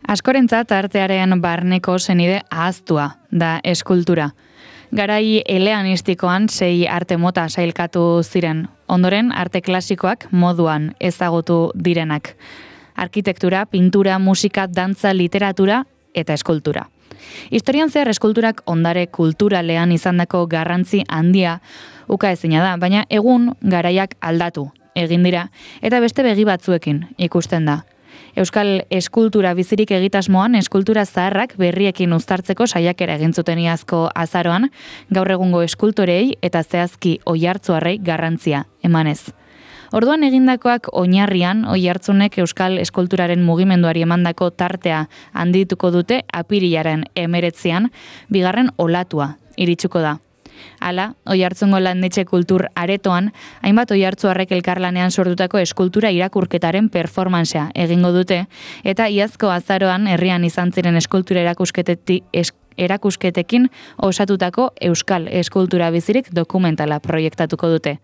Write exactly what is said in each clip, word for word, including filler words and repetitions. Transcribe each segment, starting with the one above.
Askorentzat artearen barneko zenide ahaztua da eskultura. Garai eleanistikoan sei arte mota sailkatu ziren, ondoren arte klasikoak moduan ezagutu direnak. Arkitektura, pintura, musika, dantza, literatura eta eskultura. Historian zehar eskulturak ondare kulturalean izandako garrantzi handia ukaezina da, baina egun garaiak aldatu egin dira eta beste begi batzuekin ikusten da. Euskal eskultura bizirik egitasmoan eskultura zaharrak berriekin uztartzeko saiakera egin zuten iazko azaroan, gaur egungo eskultorei eta zehazki oihartzuarrei garrantzia emanez. Orduan egindakoak oinarrian oihartzunek euskal eskulturaren mugimenduari emandako tartea handituko dute apirilaren emeretzian, bigarren olatua iritsuko da. Hala, Oiartzungo landetxe kultur aretoan, hainbat oihartzuarrek elkarlanean sortutako eskultura irakurketaren performansea egingo dute, eta iazko azaroan herrian izan ziren eskultura erakusketetik es, erakusketekin osatutako euskal eskultura bizirik dokumentala proiektatuko dute.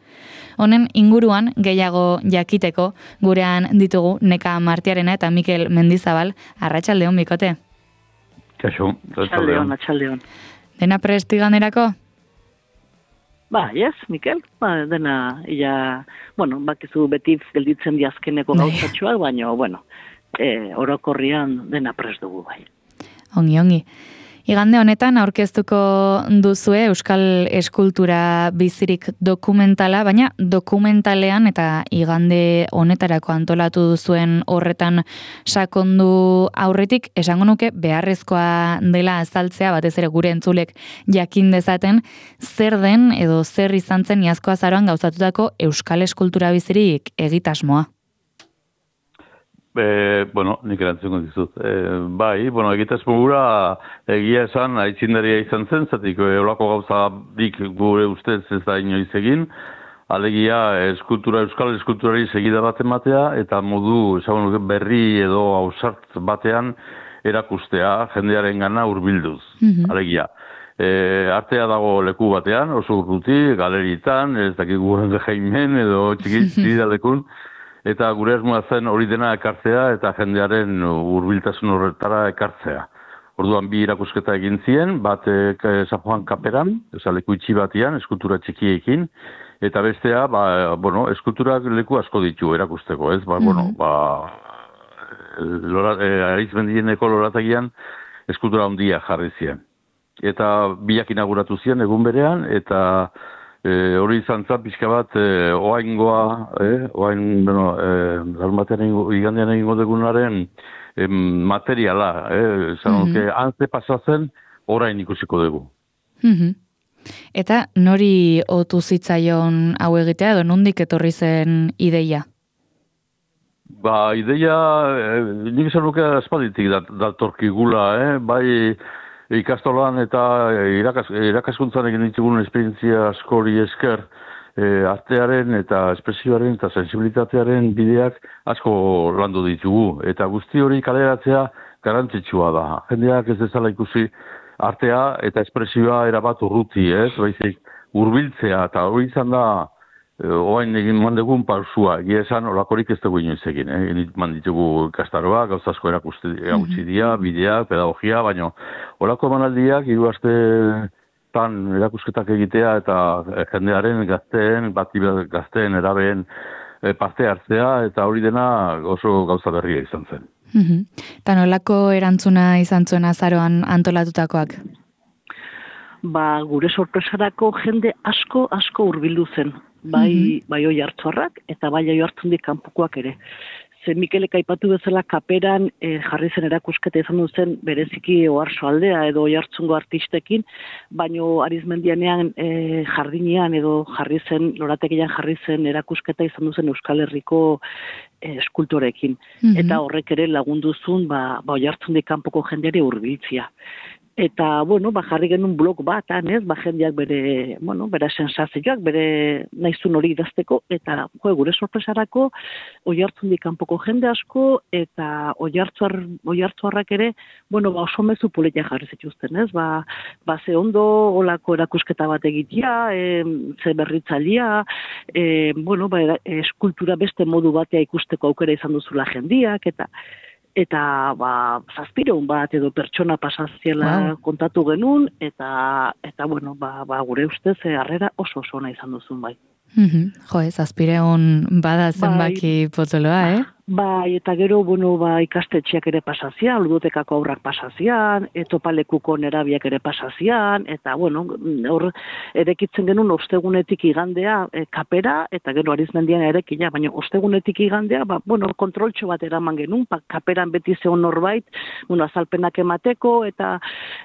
Honen inguruan gehiago jakiteko gurean ditugu Neka Martiarena eta Mikel Mendizabal. Arratsaldeon bikote. Kaixo, arratsaldeon, arratsaldeon. Dena prestiganerako? Ba, yes, Mikel, ba, dena, ia, bueno, bakizu beti gelditzen diazkeneko gauzatxoak, baina, bueno, e, orokorrian dena prest dugu bai. Ongi, ongi. Igande honetan aurkeztuko duzue Euskal Eskultura bizirik dokumentala, baina dokumentalean eta igande honetarako antolatu duzuen horretan sakondu aurretik, esango nuke beharrezkoa dela azaltzea, batez ere gure entzulek jakin dezaten, zer den edo zer izan zen iazko azaroan gauzatutako Euskal Eskultura bizirik egitasmoa. E, bueno, nik erantzungo dizut. E, bai, bueno, egitasmo gura egia esan aitzindaria izan zen, zatik eolako gauza dik gure ustez ez da inoiz egin, alegia eskultura, euskal eskulturari segida bat ematea, eta modu esagun berri edo ausart batean erakustea jendearen gana hurbilduz, mm-hmm. alegia. E, artea dago leku batean, oso urruti, galeritan, ez dakik guren jaimen edo txikitidalekun, eta gure asmoa zen hori dena ekartzea eta jendearen hurbiltasun horretara ekartzea. Orduan bi irakusketa egin zien, bat San Juan Kaperan, oza, leku itxi batian, eskultura txikiekin, eta bestea, ba, bueno, eskulturak leku asko ditu erakusteko, ez? Ba, mm-hmm. bueno, ba, lora, e, Arizmendieneko loratagian eskultura handia jarri zien. Eta biak inauguratu zien egun berean, eta E, hori izan zan pixka bat, e, oaingoa, e, oain, bueno, e, batean igandean egingo degunaren e, materiala, e, zan, mm-hmm. antze pasatzen, orain ikusiko dugu. Mm-hmm. Eta nori otu zitzaion hau egitea, edo nondik etorri zen ideia? Ba, ideia, e, nik esan nuke aspalditik datorkigula, eh? Bai, ikastolan eta irakas, irakaskuntzan egin ditugun esperientzia askori esker e, artearen eta espresioaren eta sensibilitatearen bideak asko landu ditugu. Eta guzti hori kaleratzea garrantzitsua da. Jendeak ez dezala ikusi artea eta espresioa erabat urruti, ez? Baizik hurbiltzea eta hori izan da e, oain egin mandegun pausua. Egia esan olakorik ez dugu inoiz egin. Eh? Manditugu ikastaroak, gauzazko erakusti mm-hmm. dia, bideak, pedagogia, baina olako emanaldiak hiru astetan erakusketak egitea eta jendearen gazteen, bati gazteen erabeen e, parte hartzea eta hori dena oso gauza berria izan zen. Mm-hmm. Eta nolako erantzuna izan zuen azaroan antolatutakoak? Ba, gure sorpresarako jende asko, asko hurbildu zen. Bai, mm-hmm. bai oihartzuarrak eta bai oihartzundik kanpokoak ere. Ze Mikelek aipatu bezala Kaperan e, jarri zen erakusketa izan duzen bereziki Oarso aldea edo Oiartzungo artistekin, baino Arizmendianean e, jardinean edo jarri zen, lorategian jarri zen erakusketa izan duzen Euskal Herriko e, eskultorekin. Mm-hmm. Eta horrek ere lagunduzun ba, ba Oiartzundik kanpoko jendeari hurbiltzea. Eta, bueno, ba, jarri genuen blog bat, ez, ba, jendeak bere, bueno, bere sensazioak, bere naizun hori idazteko, eta, jo, gure sorpresarako, Oiartzundik kanpoko jende asko, eta oihartzuar, oihartzuarrak ere, bueno, ba, oso mezu politia jarri zituzten, ez, ba, ba, ze ondo, olako erakusketa bat egitea, e, ze berritzailea, e, bueno, ba, eskultura beste modu batea ikusteko aukera izan duzula jendiak, eta, eta ba, zazpireun bat edo pertsona pasaziela Wow. kontatu genuen, eta, eta bueno, ba, ba, gure ustez, eh, harrera oso oso ona izan duzun bai. Mhm. Jo, ez, azpireun bada zenbaki potoloa, eh? Bai, eta gero, bueno, ba, ikastetxeak ere pasazian, ludotekako aurrak pasazian, etopalekuko nerabiak ere pasazian, eta, bueno, hor, erekitzen genuen ostegunetik igandea e, kapera, eta gero Arizmendian erekina, baina ostegunetik igandea, ba, bueno, kontroltxo bat eraman genuen, ba, kaperan beti zeon norbait, bueno, azalpenak emateko, eta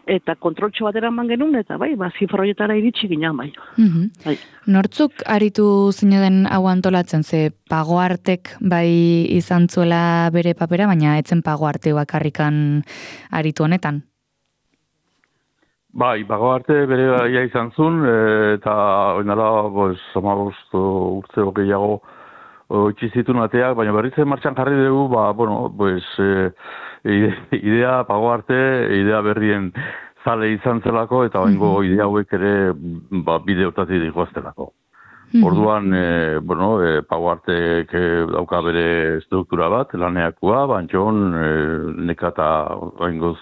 eta kontroltxo bat eraman genuen, eta bai, ba, zifra horietara iritsi ginen, bai. Mhm. bai. Nortzuk aritu zineden hau antolatzen, ze pagoartek bai izan zuela bere papera, baina etzen pagoarte bakarrikan aritu honetan. Bai, pagoarte bere gaia izan zuen, e, eta oinala, pues, amabost urte gehiago itxi zituen ateak, baina berriz martxan jarri dugu, ba, bueno, pues, e, idea pagoarte, idea berrien zale izan zelako, eta oingo idea hauek ere ba, bideotatik dikoaztelako. Orduan, e, bueno, e, pagoartek dauka bere struktura bat, laneakua, bantxon, e, nekata oingoz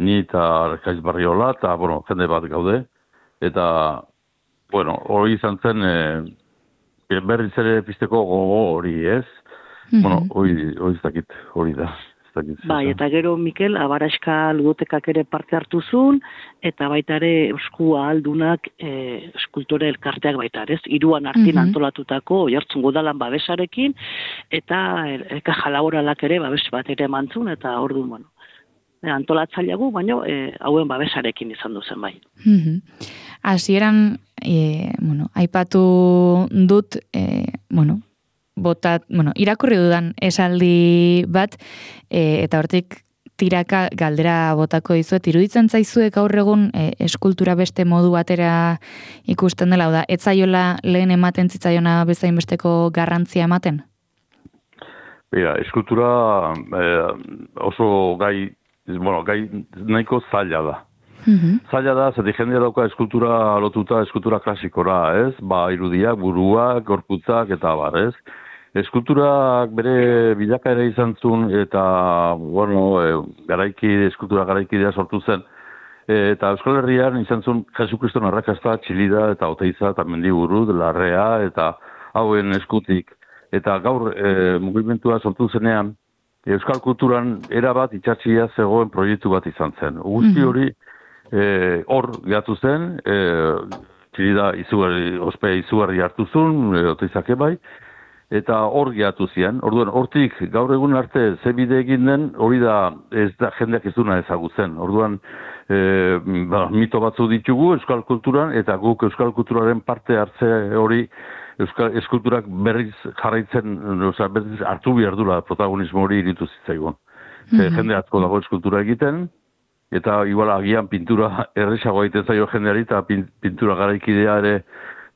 ni eta Arkaiz Barriola, eta, bueno, jende bat gaude, eta, bueno, hori izan zen, e, berriz ere pizteko gogo hori, ez? Mm-hmm. Bueno, hori, hori ez dakit, hori da. Bai, eta gero, Mikel, Abaraska ludotekak ere parte hartu zuen, eta baita ere Euskua aldunak e, eskultore elkarteak baita, ez? Hiruan artin mm-hmm. antolatutako Oiartzun Udalan babesarekin, eta eka jalaboralak ere babes bat ere emantzun, eta orduan, bueno, antolatzaileagu, baina e, hauen babesarekin izan duzen bai. Hasieran, e, bueno, aipatu dut, e, bueno, botat, bueno, irakurri dudan esaldi bat, e, eta hortik tiraka galdera botako dizuet, iruditzen zaizuek gaur egun e, eskultura beste modu batera ikusten dela, da, ez zaiola lehen ematen zitzaiona bezain besteko garrantzia ematen? Bera, eskultura eh, oso gai, bueno, gai nahiko zaila da. Mm-hmm. Zaila da, zati jendea dauka eskultura lotuta, eskultura klasikora, ez? Ba, irudiak, buruak, gorputzak, eta bar, ez? Eskulturak bere bilakaera izan zuen, eta, bueno, e, garaiki, eskultura garaikidea sortu zen, e, eta Euskal Herrian izan zuen Jesukriston arrakasta, Txilida, eta Oteiza, eta Mendiburu, Larrea, eta hauen eskutik. Eta gaur e, mugimendua sortu zenean, Euskal kulturan erabat itxatxia zegoen proiektu bat izan zen. Guzti hori hor e, gehatu zen, e, Txilida izugarri, ospea izugarri hartu zuen, e, Oteizak ebai, eta hor gehatu zian. Orduan, hortik gaur egun arte ze bide egin den, hori da, ez da jendeak ez duna ezagutzen. Orduan, e, ba, mito batzu ditugu Euskal kulturan, eta guk Euskal kulturaren parte hartze hori Euskal eskulturak berriz jarraitzen, oza, berriz hartu behar dula protagonismo hori iritu zitzaigun. Mm-hmm. Jende atzko dago eskultura egiten, eta igual agian pintura erresagoa egiten zaio jendeari, eta pintura garaikidea ere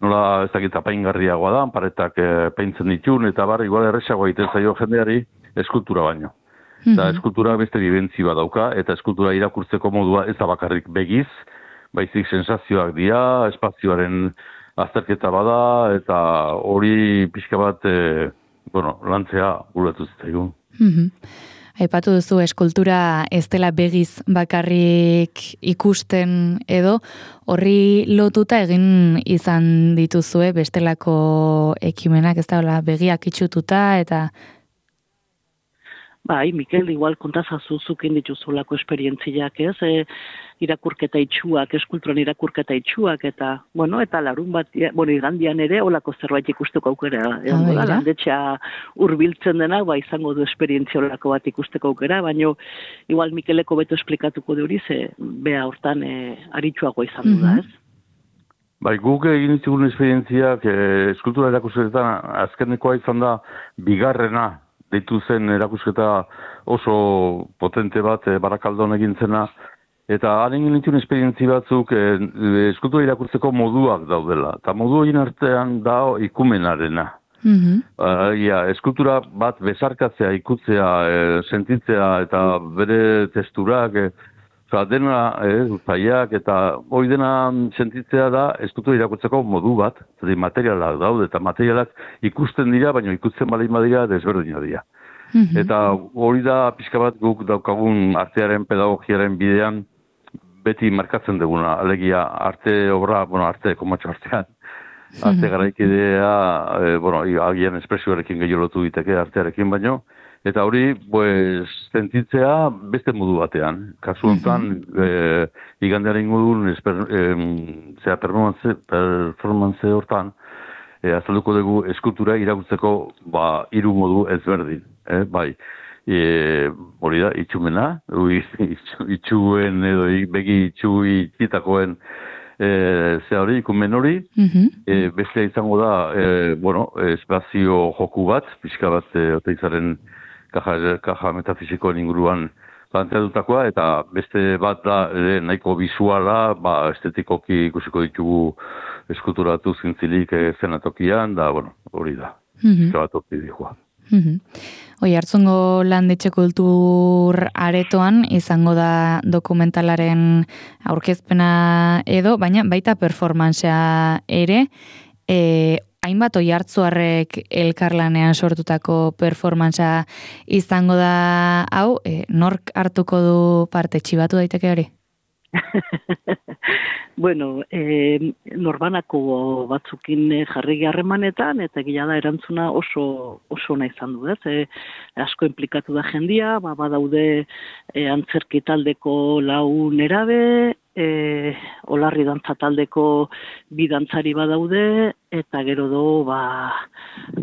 nola ez dakit apaingarriagoa da, paretak e, peintzen ditun, eta bar, igual erresagoa egiten zaio jendeari eskultura baino. Mm-hmm. Eta eskultura beste bibentzi bat dauka, eta eskultura irakurtzeko modua ez da bakarrik begiz, baizik sensazioak dira, espazioaren azterketa bada, eta hori pixka bat, e, bueno, lantzea guletu zitzaigun. Mm-hmm. Aipatu duzu, eskultura ez dela begiz bakarrik ikusten edo, horri lotuta egin izan dituzue bestelako ekimenak, ez da, begiak itxututa, eta... Bai, Mikel, igual kontazazu zukin dituzulako esperientziak, ez? E, irakurketa itxuak, eskulturan irakurketa itxuak, eta, bueno, eta larun bat, bueno, igandian ere, olako zerbait ikusteko aukera. Egon da, landetxea hurbiltzen dena, ba, izango du esperientzia olako bat ikusteko aukera, baina, igual Mikeleko beto esplikatuko de hori, ze, bea hortan e, aritxuago izan du da, ez? Bai, guk egin ditugun esperientziak, e, eskultura erakusketan, azkenekoa izan da, bigarrena, deitu zen erakusketa oso potente bat e, Barakaldon egin zena, eta haren egin esperientzi batzuk e, eskultura irakurtzeko moduak daudela. Eta modu horien artean da ikumenarena. Mm-hmm. Uh, ja, eskultura bat besarkatzea, ikutzea, e, sentitzea, eta bere testurak, e, oza, dena, e, zaiak, eta hori dena sentitzea da eskultura irakurtzeko modu bat, zati materialak daude, eta materialak ikusten dira, baina ikutzen balein badira desberdina dira. Mm-hmm. Eta hori da pixka bat guk daukagun artearen pedagogiaren bidean beti markatzen duguna, alegia arte obra, bueno, arte, komatxo artean, arte garaikidea, e, bueno, agian espresioarekin gehiago lotu diteke artearekin baino, eta hori, pues, sentitzea beste modu batean. Kasu honetan, e, igandearen ingudun, e, zera performance, performance hortan, e, azalduko dugu eskultura iragutzeko ba, hiru modu ezberdin. Eh, bai, e, hori da, itxumena, itxuen edo begi itxu itxitakoen e, ze hori, ikumen hori, mm-hmm. e, beste izango da, e, bueno, espazio joku bat, pixka bat, e, oteizaren kaja, kaja metafisikoen inguruan planteatutakoa, eta beste bat da, e, nahiko bisuala, ba, estetikoki ikusiko ditugu eskulturatu zintzilik e, zenatokian, da, bueno, hori da, mm-hmm. pixka bat opti dihua. Mm-hmm. Oi, Hartzungo Landetxe Kultur aretoan izango da dokumentalaren aurkezpena edo, baina baita performancea ere, e, hainbat oi hartzuarrek elkarlanean sortutako performancea izango da hau, e, nork hartuko du parte, txibatu daiteke hori? Bueno, eh, norbanako batzukin jarri harremanetan eta gila da erantzuna oso oso ona izan du, ez? E, asko inplikatu da jendia, ba badaude e, antzerki taldeko lau nerabe, e, olarri dantza taldeko bi dantzari badaude eta gero do ba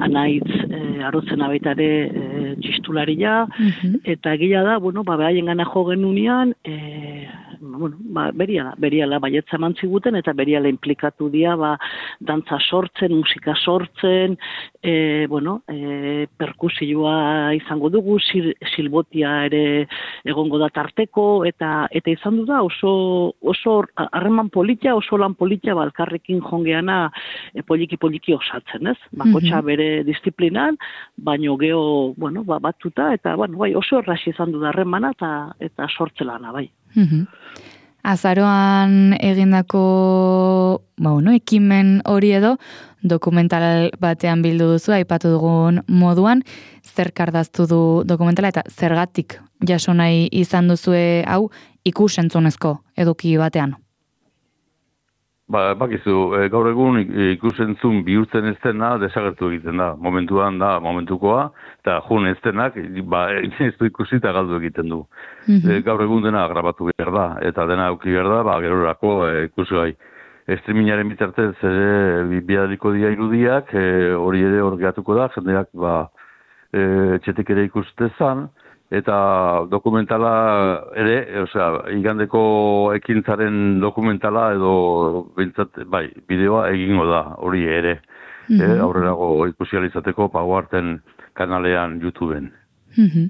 anaitz e, arotzena baita ere e, txistularia, mm-hmm. eta gila da, bueno, ba behaiengana jo genunean, e, bueno, ba beriala, beriala baietza eman ziguten eta beriala inplikatu dira ba dantza sortzen, musika sortzen, e, bueno, e, perkusioa izango dugu, sil, silbotia ere egongo da tarteko eta eta izan du da oso oso harreman politia, oso lan politia balkarrekin jongeana e, poliki poliki osatzen, ez? Bakotxa bere disiplinan, baino geho, bueno, ba, batuta eta bueno, bai, oso errazi izan du da harremana eta eta sortzelana, bai. Mhm. Azaroan egindako, ba, bueno, ekimen hori edo dokumental batean bildu duzu, aipatu dugun moduan, zer kardaztu du dokumentala eta zergatik jaso nahi izan duzue hau ikusentzunezko eduki batean? Ba, bakizu, e, gaur egun ikusentzun bihurtzen ez dena desagertu egiten da. Momentuan da, momentukoa, eta jun ez denak, ba, ez du ikusi eta galdu egiten du. Mm-hmm. E, gaur egun dena grabatu behar da, eta dena auki behar da, ba, gerorako e, ikusi gai. Streamingaren bitartez ere bialiko dira irudiak, e, hori ere hor gehatuko da, jendeak ba, e, txetik ere ikustezan, eta dokumentala ere, osea, igandeko ekintzaren dokumentala edo bintzat, bai, bideoa egingo da, hori ere. Mm-hmm. E, aurrerago ikusializateko Pagoarten kanalean YouTubeen. Mm-hmm.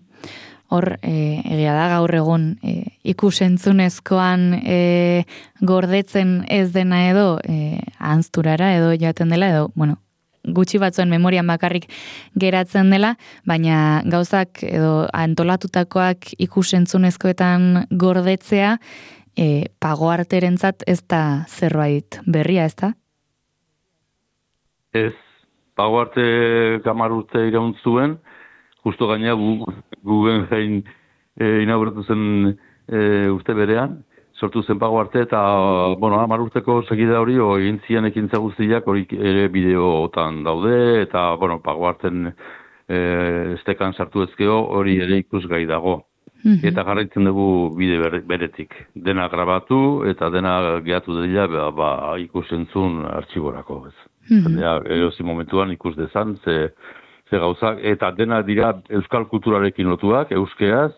Hor, e, egia da gaur egun e, ikusentzunezkoan e, gordetzen ez dena edo e, ahanzturara edo jaten dela edo, bueno, gutxi batzuen memorian bakarrik geratzen dela, baina gauzak edo antolatutakoak ikusentzunezkoetan gordetzea e, Pagoarterentzat ez da zerbait berria, ez da? Ez, Pagoarte hamar urte iraun zuen, justo gaina gu, Guggenheim e, inauguratu zen e, urte berean, sortu zen Pagoarte eta, bueno, hamar urteko segida hori, o egin zian ekintza guztiak hori ere bideotan daude, eta, bueno, Pagoarten e, estekan sartu ezkeo hori ere ikusgai dago. Mm-hmm. Eta jarraitzen dugu bide beretik. Dena grabatu eta dena gehatu dela ba, ba, ikusentzun artxiborako. Ez. Mm-hmm. Erozi momentuan ikus dezan, ze, ze gauzak, eta dena dira euskal kulturarekin lotuak, euskeaz,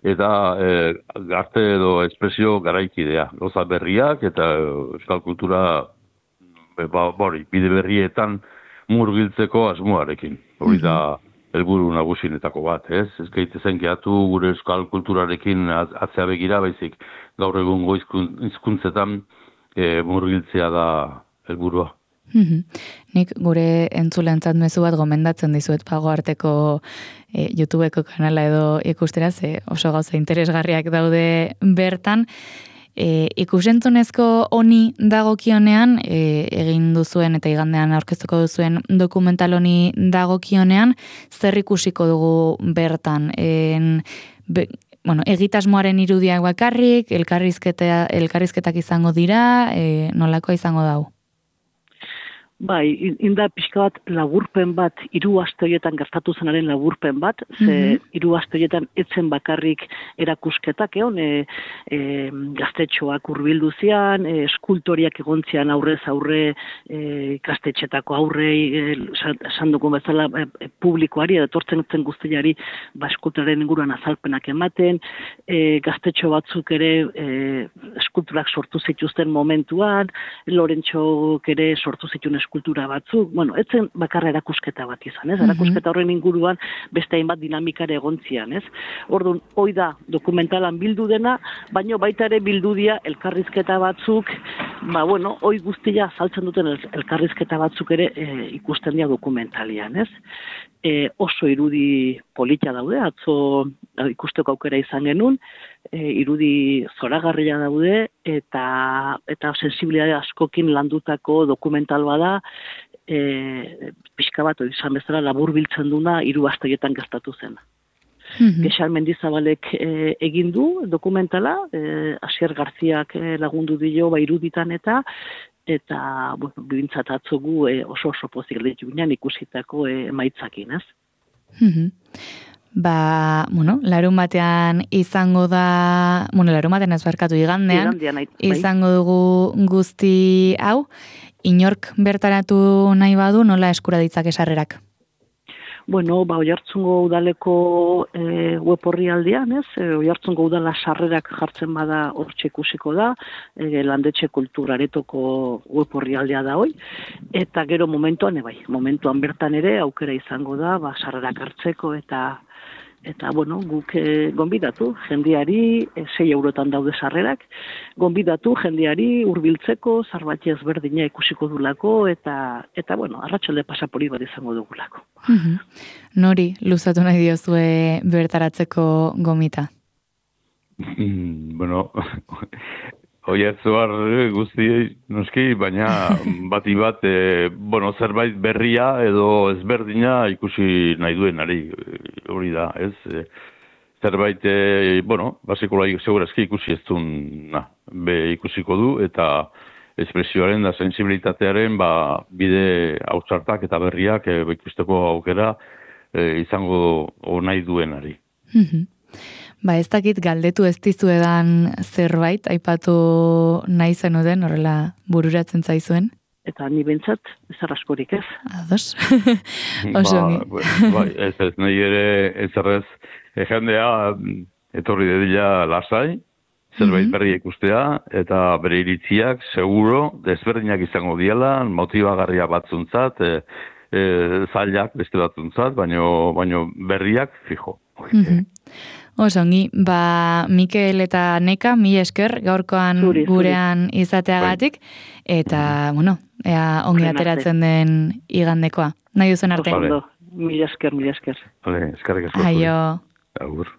eta e, arte edo espresio garaikidea. Gauza berriak eta euskal kultura ba, bori, bide berrietan murgiltzeko asmoarekin. Hori da helburu nagusinetako bat, ez? Ez gaitezen gehatu gure euskal kulturarekin atzea begira, baizik gaur egun hizkuntzetan e, murgiltzea da helburua. Mm-hmm. Nik gure entzulentzat mezu bat gomendatzen dizuet Pagoarteko e, YouTubeko kanala edo ikustera, ze oso gauza interesgarriak daude bertan. E, ikusentzunezko honi dagokionean, e, egin duzuen eta igandean aurkeztuko duzuen dokumental honi dagokionean, zer ikusiko dugu bertan? En, be, bueno, egitasmoaren irudiak bakarrik, elkarrizketa, elkarrizketak izango dira, e, nolakoa izango dau? Bai, inda pixka bat laburpen bat, hiru aste horietan gertatu zenaren laburpen bat, ze mm-hmm. hiru aste horietan etzen bakarrik erakusketak, egon, e, e, gaztetxoak hurbildu zian, e, eskultoriak egontzian aurrez aurre, e, gaztetxetako aurrei, esan dugun bezala, e, publikoari, edo tortzen zen guztiari, ba, eskulturaren inguruan azalpenak ematen, e, gaztetxo batzuk ere e, eskulturak sortu zituzten momentuan, Lorentxok ere sortu zituen eskultura batzuk, bueno, etzen bakarra erakusketa bat izan, ez? Erakusketa horren inguruan beste hainbat dinamikare egontzian, ez? Orduan, hoi da dokumentalan bildu dena, baino baita ere bildu dira elkarrizketa batzuk, ba, bueno, hoi guztia saltzen duten elkarrizketa batzuk ere e, ikusten dira dokumentalian, ez? E, oso irudi polita daude, atzo ikusteko aukera izan genuen, e, irudi zoragarria daude, eta eta sensibilitate askokin landutako dokumental bada, e, pixka bat izan bezala labur biltzen duna hiru aste horietan gertatu zen. Mm-hmm. Gexal Mendizabalek e, egin du dokumentala, e, Asier Garziak e, lagundu dio ba iruditan eta eta bueno, bintzat atzogu e, oso oso pozik ditu ginen ikusitako e, emaitzakin, ez? Mm-hmm. Ba, bueno, larun batean izango da, bueno, larun batean ez barkatu igandean, igandean bai. Izango dugu guzti hau, inork bertaratu nahi badu, nola eskura ditzake sarrerak? Bueno, ba, Oiartzungo udaleko e, web horri aldean, ez? E, Oiartzungo udala sarrerak jartzen bada hortxe ikusiko da, e, landetxe kulturaretoko web horri aldea da hoi, eta gero momentuan, e, bai, momentuan bertan ere aukera izango da, ba, sarrerak hartzeko eta Eta, bueno, guk e, gonbidatu, jendiari, e, sei eurotan daude sarrerak, gonbidatu jendiari hurbiltzeko, zarbati ezberdina ikusiko dulako, eta, eta bueno, arratsalde pasapori bat izango dugulako. Mm-hmm. Nori, luzatu nahi diozue bertaratzeko gomita? Mm, bueno, Oiartzuar guzti noski, baina bati bat, e, bueno, zerbait berria edo ezberdina ikusi nahi duenari, hori da, ez? E, zerbait, e, bueno, basikola segurazki ikusi ez duen, na, be ikusiko du, eta espresioaren da sensibilitatearen, ba, bide hautsartak eta berriak e, ikusteko aukera e, izango nahi duenari. Mm-hmm. Ba, ez dakit galdetu ez dizuedan zerbait, aipatu nahi zenuden, horrela bururatzen zaizuen? Eta ni bentsat, ez askorik ez. Ados. Oso ba, ba, ez ez, nahi ere ez errez, e, jendea etorri dedila lasai, zerbait mm-hmm. berri ikustea, eta bere iritziak, seguro, desberdinak izango diela, motibagarria batzuntzat, e, e, zailak beste batzuntzat, baino, baino berriak fijo. Mm-hmm. Osongi, ba, Mikel eta Neka, mi esker, gaurkoan zuri, gurean zuri. Izateagatik, eta, bueno, ea ongi ateratzen den igandekoa. Nahi duzen arte? Oso, mi esker, mi esker. Vale, eskerrik asko. Aio. Agur.